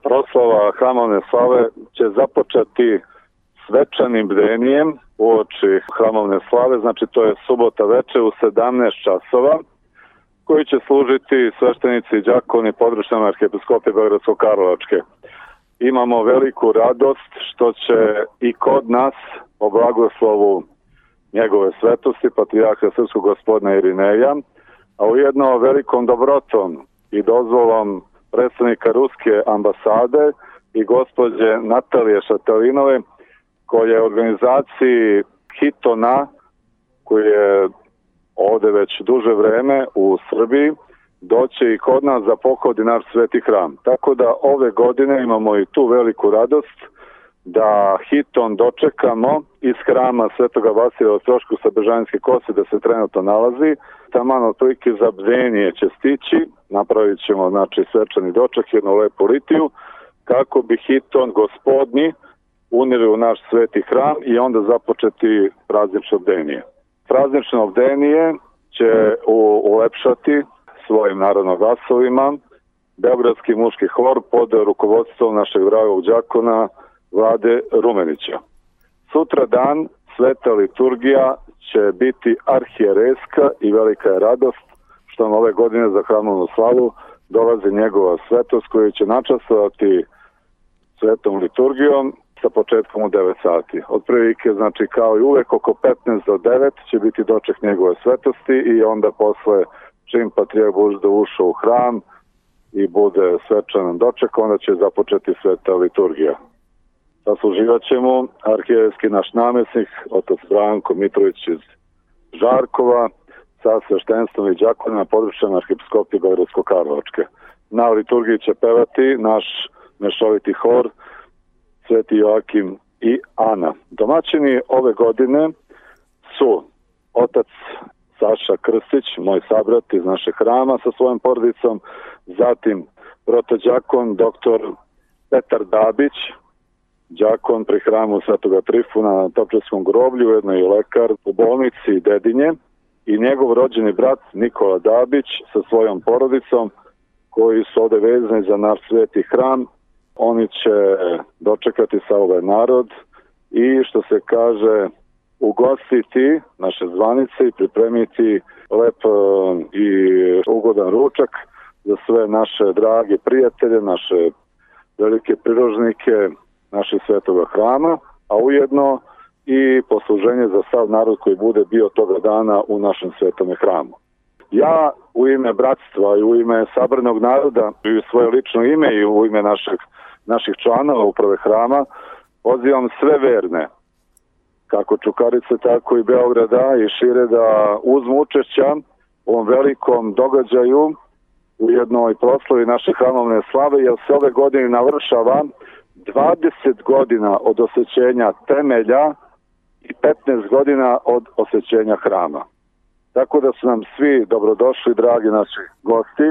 Proslava hramovne slave će započeti svečanim bdenjem uoči hramovne slave, znači to je subota veče u 17 časova, koji će služiti sveštenici i đakoni područne arhijepiskopije Beogradsko-Karlovačke. Imamo veliku radost što će i kod nas po blagoslovu njegove svetosti, patrijarha srpskog gospodina Irineja, a ujedno velikom dobrotom i dozvolom predstavnika Ruske ambasade i gospođe Natalije Šatalinove, koja je organizaciji Hitona, koji je ovde već duže vreme u Srbiji, doće i kod nas da pohodi naš sveti hram. Tako da ove godine imamo i tu veliku radost da Hiton dočekamo iz hrama Svetoga Vasilija Ostroškog sa Bežanijske Kose, da se trenutno nalazi. Taman otprilike za bdenje će stići, napravit ćemo znači svečani doček, jednu lepu litiju, kako bi Hiton gospodnji unili u naš sveti hram i onda započeti praznično bdenije. Praznično bdenije će ulepšati svojim narodnim glasovima Beogradski muški hor pod rukovodstvom našeg dragog đakona Vlade Rumenića. Sutra dan sveta liturgija će biti arhijerejska i velika je radost što nam ove godine za hramovnu slavu dolazi njegova svetost koja će načastovati svetom liturgijom sa početkom u 9 sati. Otprilike, znači kao i uvek, oko 15 do 9 će biti doček njegove svetosti i onda posle čim patrijarh bude ušao u hram i bude svečanan doček, onda će započeti sveta liturgija. Sasluživat će mu arhijerejski naš namjesnik, otac Branko Mitrović iz Žarkova, sa sveštenstvom i đakonima područne arhijepiskopije Beogradsko-Karlovačke. Na liturgiji će pevati naš mešoviti hor Sveti Joakim i Ana. Domaćini ove godine su otac Saša Krstić, moj sabrat iz našeg hrama sa svojom porodicom, zatim protođakon dr. Petar Dabić, đakon pri hramu Svetoga Trifuna na Topčevskom groblju, ujedno i lekar u bolnici Dedinje, i njegov rođeni brat Nikola Dabić sa svojom porodicom, koji su ovde vezani za naš sveti hram. Oni će dočekati sa ovaj narod i, što se kaže, ugostiti naše zvanice i pripremiti lep i ugodan ručak za sve naše drage prijatelje, naše velike prirožnike našeg svetoga hrama, a ujedno i posluženje za sav narod koji bude bio toga dana u našem svetome hramu. Ja u ime bratstva i u ime sabranog naroda i u svoje lično ime i u ime naših članova uprave hrama pozivam sve verne, kako Čukarice, tako i Beograda i šire, da uzmu učešća u ovom velikom događaju u jednoj proslavi naše hramovne slave, jer se ove godine navršava 20 godina od osvećenja temelja i 15 godina od osvećenja hrama. Tako da su nam svi dobrodošli, dragi naši gosti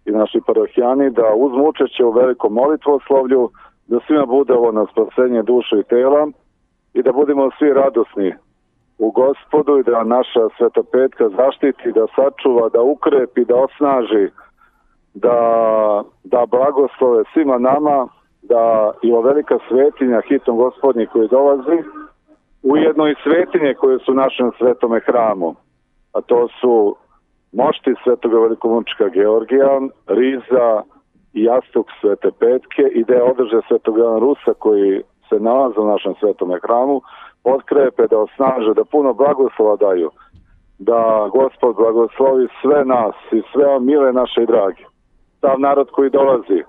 i naši parohijani, da uzmu učešće u velikom molitvoslovlju, da svima bude ovo na spasenje duše i tela i da budemo svi radosni u Gospodu i da naša Sveta Petka zaštiti, da sačuva, da ukrepi, da osnaži, da blagoslove svima nama, da i ova velika svetinja Hiton Gospodnji koji dolazi, ujedno i svetinje koje su u našem svetome hramu, a to su mošti Svetoga velikomučnika Georgija, Riza i jastuk Svete Petke i da je održe Svetog Jovana Rusa koji se nalaze u našem svetome hramu, potkrepe, da osnaže, da puno blagoslova daju, da Gospod blagoslovi sve nas i sve mile naše i drage. Sav narod koji dolazi,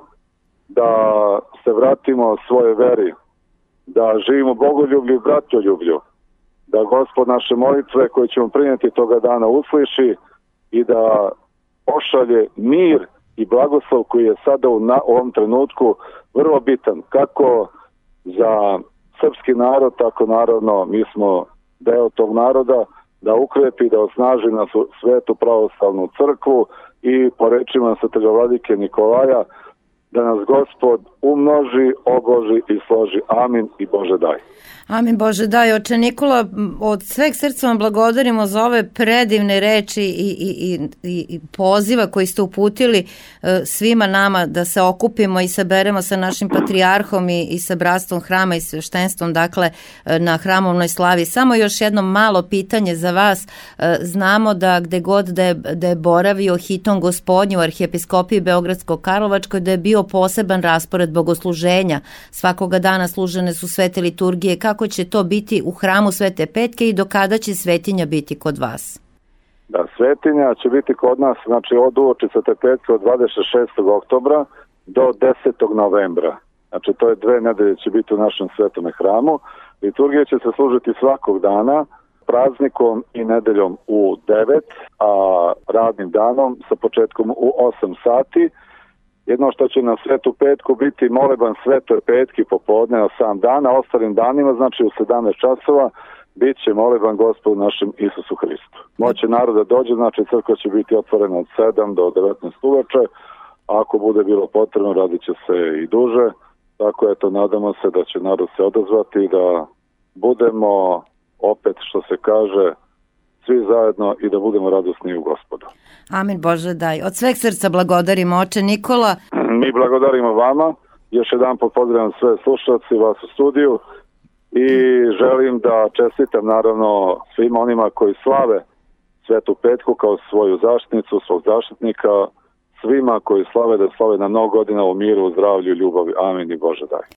da se vratimo svoje veri, da živimo bogoljublju i bratoljublju, da Gospod naše molitve koje ćemo prinijeti toga dana usliši i da pošalje mir i blagoslov koji je sada u ovom trenutku vrlo bitan, kako za srpski narod, tako naravno mi smo deo tog naroda, da ukrepi, da osnaži na svetu pravoslavnu crkvu i po rečima svetog vladike Nikolaja da nas Gospod umnoži, oboži i složi. Amin i Bože daj. Amin Bože daj. Oče Nikola, od sveg srca vam blagodarimo za ove predivne reči i poziva koji ste uputili svima nama da se okupimo i saberemo sa našim patrijarhom i sa bratstvom hrama i sveštenstvom, dakle na hramovnoj slavi. Samo još jedno malo pitanje za vas. Znamo da gde god da je boravio hitom Gospodnju u arhijepiskopiji Beogradsko-Karlovačkoj, da je bio poseban raspored bogosluženja. Svakoga dana služene su svete liturgije. Kako će to biti u hramu Svete Petke i do kada će svetinja biti kod vas? Da, svetinja će biti kod nas, znači od uoči Svete Petke od 26. oktobra do 10. novembra. Znači to je 2 nedelje će biti u našem svetome hramu. Liturgija će se služiti svakog dana, praznikom i nedeljom u 9, a radnim danom sa početkom u 8 sati. Jedno što će na Svetu Petku biti moleban Svetoj Petki popodne na sam dan, a ostalim danima, znači u 17 časova, bit će moleban Gospodu našem Isusu Hristu. Moće naroda dođe, znači crkva će biti otvorena od 7 do 19 uveče, a ako bude bilo potrebno radit će se i duže, tako eto nadamo se da će narod se odazvati i da budemo opet što se kaže svi zajedno i da budemo radosni u Gospodu. Amin Bože daj. Od sveg srca blagodarimo oče Nikola. Mi blagodarimo vama. Još jedan pozdravljam sve slušalci vas u studiju i želim da čestitam naravno svima onima koji slave Svetu Petku kao svoju zaštitnicu, svog zaštitnika, svima koji slave da slave na mnogo godina u miru, zdravlju i ljubavi. Amin i Bože daj.